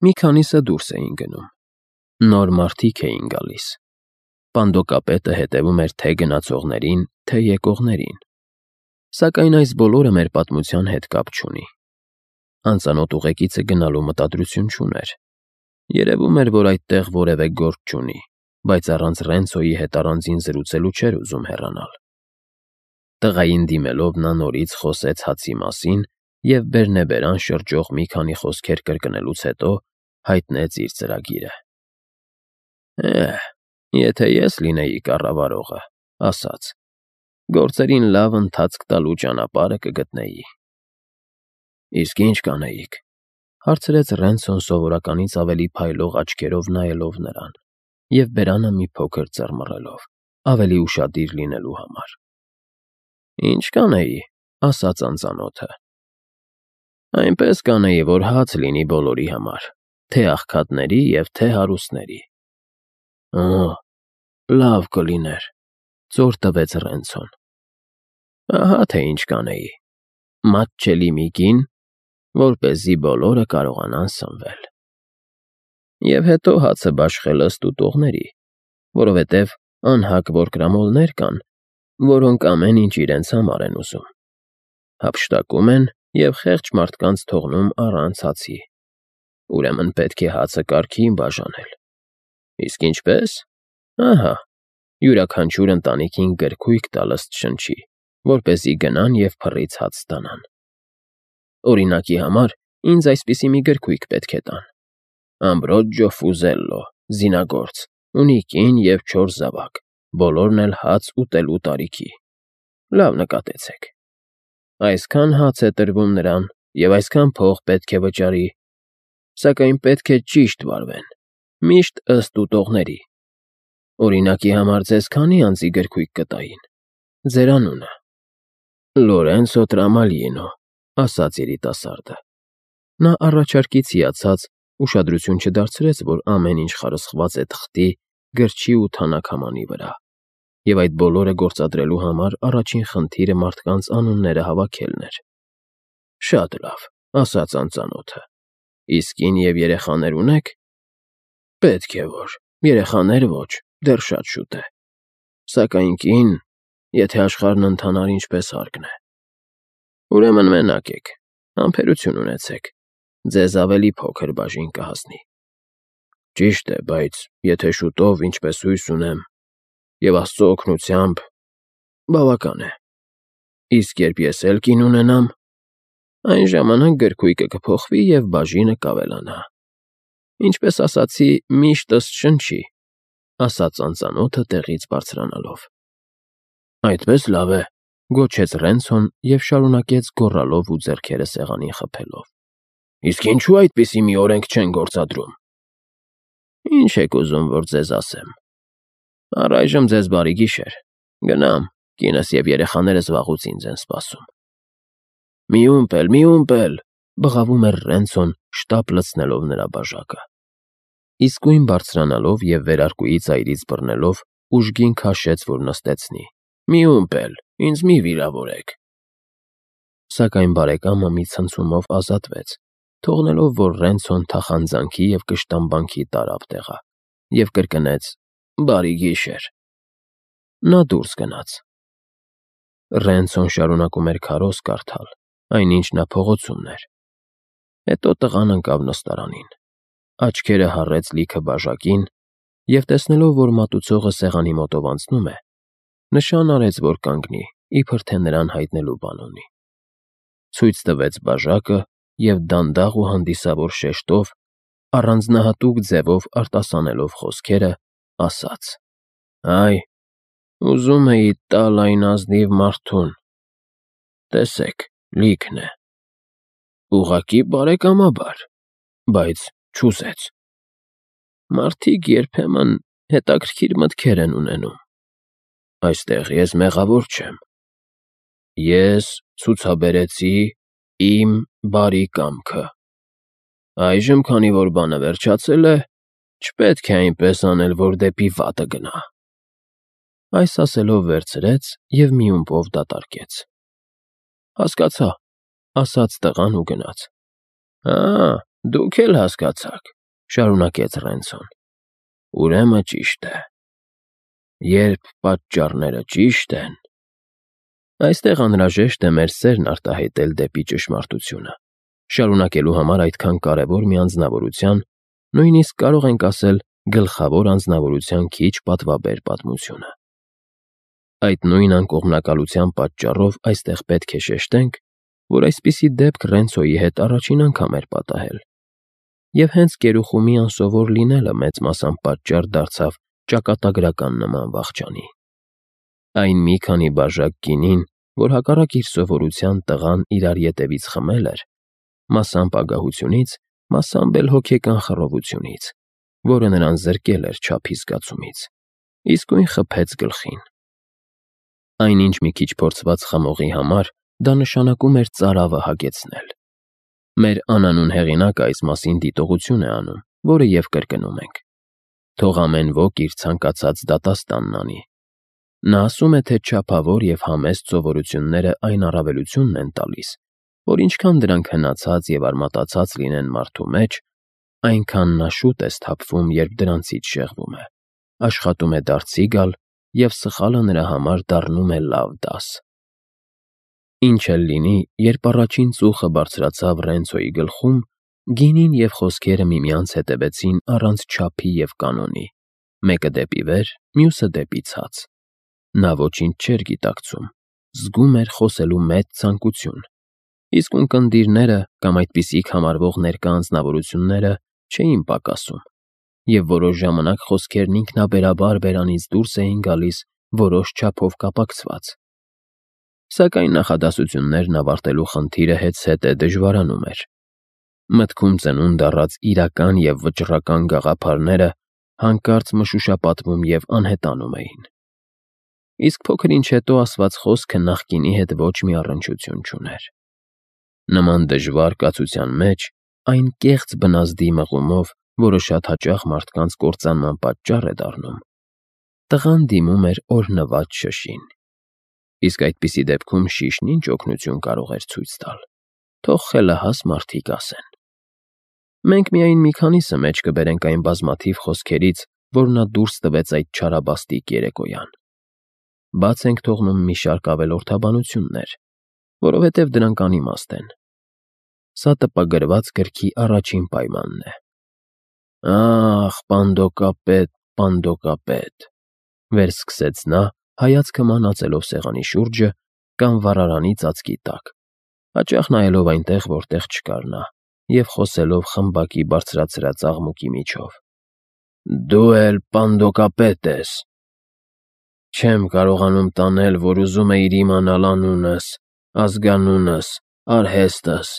Մի քանիսը դուրս էին գնում։ Նոր մարդիկ էին գալիս։ Պանդոկապետը հետևում էր թե գնացողներին, թե եկողներին։ Սակայն այս բոլորը մեր պատմության հետ կապ չունի։ Անծանոթ ուղեկիցը գնալու մտադրություն չուներ։ Երևում էր, որ այդտեղ որևէ գործ չունի, բայց առանց Ռենցոյի հետ առանձին զրուցելու չէր ուզում հեռանալ։ Տղային դիմելով նա նորից խոսեց հացի մասին և բերնեբերան շրջող մի քանի խոսքեր կրկնելուց հետո հայտնեց իր ծրագիրը։ Եթե ես լինեի կառավարողը, ասաց, գործերին լավ ընթացք տալու ճանապարհը կգտնեի։ Իսկ ինչ կանեիք, հարցրեց Ռենցոն սովորականից ավելի փայլող աչքերով նայելով նրան և բերանը մի փոքր ծռմռելով, ավելի ուշադիր լինելու համար։ Ինչ կանեի, ասաց անծանոթը։ Այնպես կանեի, որ հաց լինի բոլորի համար, թե աղքատների և թե հարուստների։ Լավ կլիներ, ծոր տվեց Ռենցոն։ Ահա թե ինչ կանեի. մատչելի մի կին, որպեսզի բոլորը կարողանան սնվել։ Եվ հետո հացը բաշխելը ստուտողների, որովհետև անհագ որկրամոլներ կան, որոնք ամեն ինչ իրենց համար են ուզում։ Հափշտակում են և խեղճ մարդկանց թողնում առանց հացի։ Ուրեմն պետք է հացը կարգին բաժանել։ Իսկ ինչպե՞ս։ Ահա, յուրաքանչյուր ընտանիքին գրքույկ տալ ըստ շնչի, որպեսզի գնան և փռից հաց ստանան։ Օրինակի համար ինձ այսպիսի մի գրքույկ պետք է տան. Ամբրոջո Ֆուզելլո, զինագործ, ունի կին և 4 զավակ, բոլորն էլ հաց ուտելու տարիքի։ Լավ նկատեցեք։ Այսքան հաց է տրվում նրան, և այսքան փող պետք է վճարի, սակայն պետք է ճիշտ վարվեն, միշտ ըստ ուտողների։ Օրինակի համար ձեզ քանի անձի գրքույկ կտային։ Ձեր անունը։ Լորենցո Տրամալինո, ասաց երիտասարդը։ Նա առաջարկից հիացած ուշադրություն չդարձրեց, որ ամեն ինչ խարսխված է թղթի, գրչի ու թանաքամանի վրա, և այդ բոլորը գործադրելու համար առաջին խնդիրը մարդկանց անունները հավաքելն էր։ Շատ լավ, ասաց անծանոթը։ Իսկ կին և երեխաներ ունեք։ Պետք է որ, երեխաներ ոչ, դեռ շատ շուտ է։ Սակայն կին, եթե աշխարհն ընթանար ինչպես հարկն է։ Ուրեմն մենակ եք, համբերություն ունեցեք, ձեզ ավելի փոքր բաժին կհասնի։ Ճիշտ է, բայց եթե շուտով, ինչպես հույս ունեմ, և Աստծո օգնությամբ, բավական է։ Իսկ երբ ես էլ կին ունենամ, այն ժամանակ գրքույկը կփոխվի և բաժինը կավելանա։ Ինչպես ասացի, միշտ ըստ շնչի, ասաց անծանոթը տեղից բարձրանալով։ Այդպես լավ է, գոչեց Ռենցոն և շարունակեց գոռալով ու ձեռքերը սեղանին խփելով։ Իսկ ինչու այդպիսի մի օրենք չեն գործադրում։ Ինչ եք ուզում, որ ձեզ ասեմ։ Առայժմ ձեզ բարի գիշեր։ Գնամ, կինս և երեխաներս վաղուց ինձ են սպասում։ Մի ումպել, բղավում էր Ռենցոն, շտապ լցնելով նրա բաժակը։ Իսկույն բարձրանալով և վերարկուի ծայրից բռնելով, ուժգին քաշեց, որ նստեցնի։ Մի ումպել, ինձ մի վիրավորեք։ Սակայն բարեկամը մի ցնցումով ազատվեց, թողնելով, որ Ռենցոն թախանձանքի և կշտամբանքի տարավ տեղը, և կրկնեց. Բարի գիշեր։ Նա դուրս գնաց։ Ռենցոն շարունակում էր քարոզ կարդալ, այնինչ նա փողոցումն էր։ Հետո տղան ընկավ նստարանին, աչքերը հառեց լիքը բաժակին և, տեսնելով, որ մատուցողը սեղանի մոտով անցնում է, նշան արեց, որ կանգնի, իբր թե նրան հայտնելու բան ունի։ Ցույց տվեց բաժակը և դանդաղ ու հանդիսավոր շեշտով, առանձնահատուկ ձևով արտասանելով խոսքերը, ասաց. Այ, ուզում էի տալ այն ազնիվ մարդուն։ Տեսեք, լիքն է։ Ուղղակի բարեկամաբար, բայց չուզեց։ Մարդիկ երբեմն հետաքրքիր մտքեր են ունենում։ Այստեղ ես մեղավոր չեմ։ Ես ցուցաբերեցի իմ բարի կամքը։ Այժմ, քանի որ բանը վերջացել է, չպետք է այնպես անել, որ դեպի վատը գնա։ Այս ասելով վերցրեց և մի ումպով դատարկեց։ Հասկացա, ասաց տղան ու գնաց։ Դուք էլ հասկացաք, շարունակեց Ռենցոն։ Ուրեմն ճիշտ է։ Երբ պատճառները ճիշտ են, այստեղ անհրաժեշտ է մեր սերն արտահայտել դեպի ճշմարտությունը։ Շարունակելու համար այդքան կարևոր մի անձնավորության, նույնիսկ կարող ենք ասել գլխավոր անձնավորության քիչ պատվաբեր պատմությունը։ Այդ նույն անկողմնակալության պատճառով այստեղ պետք է շեշտենք, որ այսպիսի դեպք Ռենցոյի հետ առաջին անգամ էր պատահել։ Եվ հենց գերուխումի անսովոր լինելը մեծ մասամբ պատճառ դարձավ ճակատագրական նման վախճանի։ Այն մի քանի բաժակ գինին, որ հակառակ իր սովորության տղան իրար ետևից խմել էր, մասամբ ագահությունից, մասամբ էլ հոգեկան խռովությունից, որը նրան զրկել էր չափի զգացումից, իսկույն խփեց գլխին։ Այնինչ մի քիչ փորձված խմողի համար դա նշանակում էր ծարավը հագեցնել։ Մեր անանուն հեղինակը այս մասին դիտողություն է անում, որը և կրկնում ենք։ Թող ամեն ոք իր ցանկացած դատաստանն անի։ Նա ասում է, թե չափավոր և համեստ սովորությունները այն առավելությունն են տալիս, որ ինչքան դրանք հնացած և արմատացած լինեն մարդու մեջ, այնքան նա շուտ է սթափվում, երբ դրանցից շեղվում է, աշխատում է դարձի գալ և սխալը նրա համար դառնում է լավ դաս։ Ինչ էլ լինի, երբ առաջին ծուխը բարձրացավ Ռենցոյի գլխում, գինին և խոսքերը միմյանց հետևեցին առանց չափի և կանոնի, մեկը դեպի վեր, մյուսը դեպի ցած։ Նա ոչինչ չէր գիտակցում, զգում էր խոսելու մեծ ցանկություն, իսկ ունկնդիրները կամ այդպիսիք համարվող ներկա անձնավորությունները չէին պակասում, և որոշ ժամանակ խոսքերն ինքնաբերաբար բերանից դուրս էին գալիս որոշ չափով կապակցված։ Սակայն նախադասություններն ավարտելու խնդիրը հետզհետե դժվարանում էր։ Մտքում ծնունդ առած իրական և վճռական գաղափարները հանկարծ մշուշապատվում և անհետանում էին։ Իսկ փոքր ինչ հետո ասված խոսքը նախկինի հետ ոչ մի առնչություն չուներ։ Նման դժվար կացության մեջ այն կեղծ բնազդի մղումով, որը շատ հաճախ մարդկանց կործանման պատճառ է դառնում, տղան դիմում էր օրհնված շշին։ Իսկ այդպիսի դեպքում շիշն ինչ օգնություն կարող էր ցույց տալ, թող խելահաս մարդիկ ասեն։ Մենք միայն մի քանիսը մեջ կբերենք այն բազմաթիվ խոսքերից, որ նա դուրս տվեց այդ չարաբաստիկ երեկոյան։ Բաց ենք թողնում մի շարք ավելորդաբանություններ, որովհետև դրանք անիմաստ են։ Սա տպագրված գրքի առաջին պայմանն է։ Ախ, Պանդոկապետ, վերսկսեց նա, հայացքը մանածելով սեղանի շուրջը կամ վառարանի ծածկի տակ, հաճախ նայելով այնտեղ, որտեղ չկար նա, և խոսելով խմբակի բարձրացրած աղմուկի միջով։ Դու էլ Պանդոկապետ ես։ Չեմ կարողանում տանել, որ ուզում էիր իմանալ անունս, ազգանունս, արհեստս։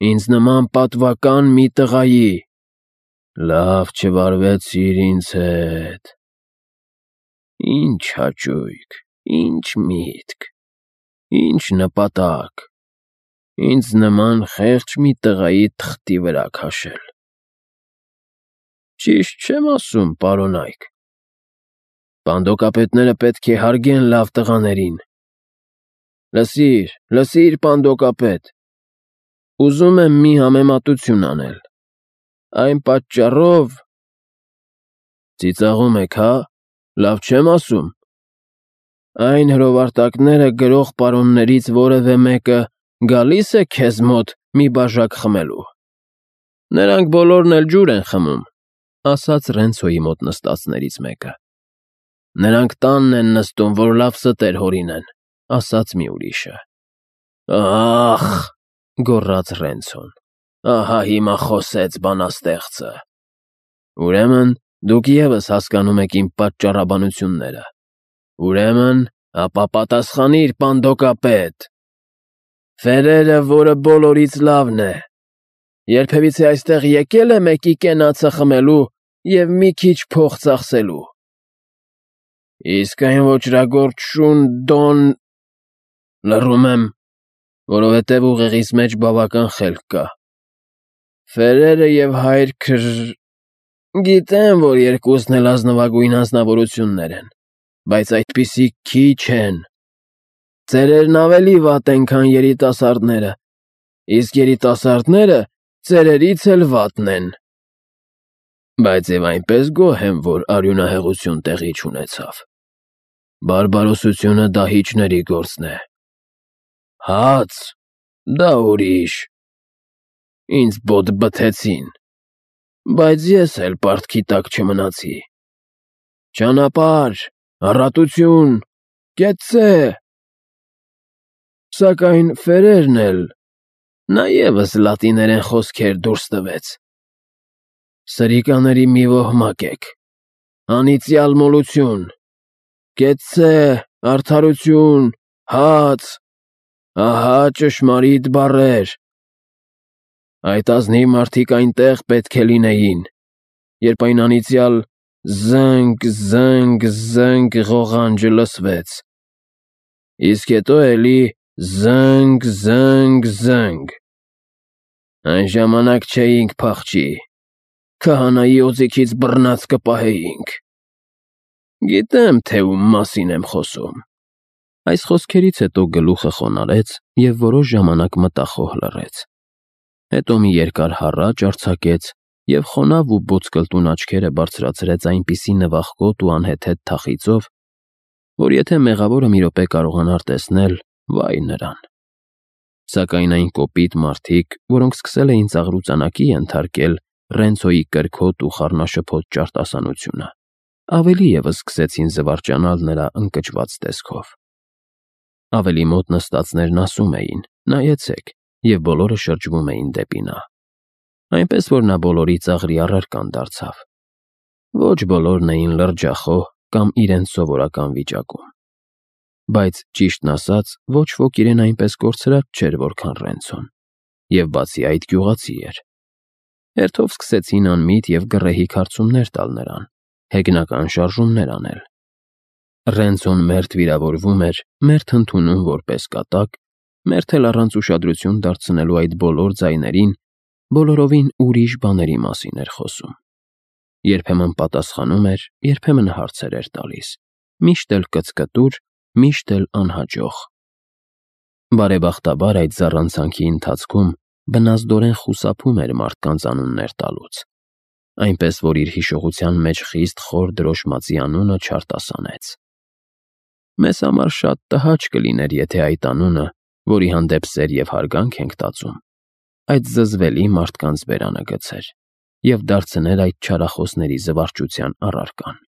Ինձ նման պատվական մի տղայի։ Լավ չվարվեցիր ինձ հետ։ Ինչ հաճույք, ինչ միտք, ինչ նպատակ, ինձ նման խեղճ մի տղայի թղթի վրա քաշել։ Ճիշտ չեմ ասում, պարոն Այք։ Պանդոկապետները պետք է հարգեն լավ տղաներին։ Լսիր, Պանդոկապետ, ուզում եմ մի համեմատություն անել։ Այն պատճառով… Ծիծաղում եք, հա՞, լավ չեմ ասում։ Այն հրովարտակները գրող պարոններից որևէ մեկը գալի՞ս է քեզ մոտ մի բաժակ խմելու։ Նրանք բոլորն էլ ջուր են խմում, ասաց Ռենցոյի մոտ նստածներից մեկը։ Նրանք տանն են նստում, որ լավ ստեր հորինեն, ասաց մի ուրիշը։ Ախ, գոռաց Ռենցոն, ահա հիմա խոսեց բանաստեղծը։ Ուրեմն դուք ևս հասկանում եք իմ պատճառաբանությունները։ Ուրեմն, ապա պատասխանիր, Պանդոկապետ։ Ֆերերը, որը բոլորից լավն է, երբևիցե այստեղ եկել է մեկի կենացը խմելու և մի քիչ փող ծախսելու։ Իսկ այն ոճրագործ շուն Լռում եմ, որովհետև ուղեղիս մեջ բավական խելք կա։ Ֆերերը և հայր Գիտեմ, որ երկուսն էլ ազնվագույն անձնավորություններ են, բայց այդպիսիք քիչ են։ Ծերերն ավելի վատ են, քան երիտասարդները, իսկ երիտասարդները ծերերից էլ վատն են։ Բայց եւ այնպես գոհ եմ, որ արյունահեղություն տեղի չունեցավ։ Բարբարոսությունը դահիճների գործն է։ Հաց, դա ուրիշ։ Ինձ բոտ բթեցին, բայց ես էլ պարտքի տակ չմնացի։ Ճանապարհ, առատություն, կեցցե։ Սակայն Ֆերերն էլ նա ևս լատիներեն խոսքեր դուրս տվեց։ Սրիկաների մի ոհմակ եք, անիծյալ մոլություն, կեցցե, արդարություն, հաց, ահա ճշմարիտ բառեր։ Այդ ազնիվ մարդիկ այնտեղ պետք է լինեին, երբ այն անիծյալ զնգ, զնգ, զնգ ղողանջը լսվեց, իսկ հետո էլի զնգ, զնգ, զնգ։ Այն ժամանակ չէինք փախչի, քահանայի օձիքից բռնած կպահեինք։ Գիտեմ, թե ում մասին եմ խոսում։ Այս խոսքերից հետո գլուխը խոնարհեց և որոշ ժամանակ մտախոհ լռեց։ Հետո մի երկար հառաչ արձակեց և խոնավ ու բոցկլտուն աչքերը բարձրացրեց այնպիսի նվախկոտ ու անհեթեթ թախիծով, որ եթե մեղավորը մի րոպե կարողանար տեսնել, վայ նրան։ Սակայն այն կոպիտ մարդիկ, որոնք սկսել էին ծաղրուծանակի ենթարկել Ռենցոյի կրքոտ ու խառնաշփոթ ճարտասանությունը, ավելի ևս սկսեցին զվարճանալ նրա ընկճված տեսքով։ Ավելի մոտ նստածներն ասում էին. «Նայեցեք», և բոլորը շրջվում էին դեպի նա։ Այնպես որ նա բոլորի ծաղրի առարկան դարձավ։ Ոչ բոլորն էին լրջախոհ կամ իրենց սովորական վիճակում։ Բայց, ճիշտն ասած, ոչ ոք իրեն այնպես կորցրած չէր, որքան Ռենցոն, և բացի այդ գյուղացի էր։ Հերթով սկսեցին անմիտ և գռեհիկ հարցումներ տալ նրան, հեգնական շարժումներ անել։ Ռենցոն մերթ վիրավորվում էր, մերթ ընդունում որպես կատակ, մերթ էլ առանց ուշադրություն դարձնելու այդ բոլոր ձայներին բոլորովին ուրիշ բաների մասին էր խոսում։ Երբեմն պատասխանում էր, երբեմն հարցեր էր տալիս, միշտ էլ կծկտուր, միշտ էլ անհաջող։ Բարեբախտաբար այդ զառանցանքի ընթացքում բնազդորեն խուսափում էր մարդկանց անուններ տալուց, այնպես որ իր հիշողության մեջ խիստ խոր դրոշմածի անունը չարտասանեց։ Մեզ համար շատ տհաճ կլիներ, եթե այդ անունը, որի հանդեպ սեր և հարգանք ենք տածում, այդ զզվելի մարդկանց բերանը գցեր և դարձներ այդ չարախոսների զվարճության առարկան։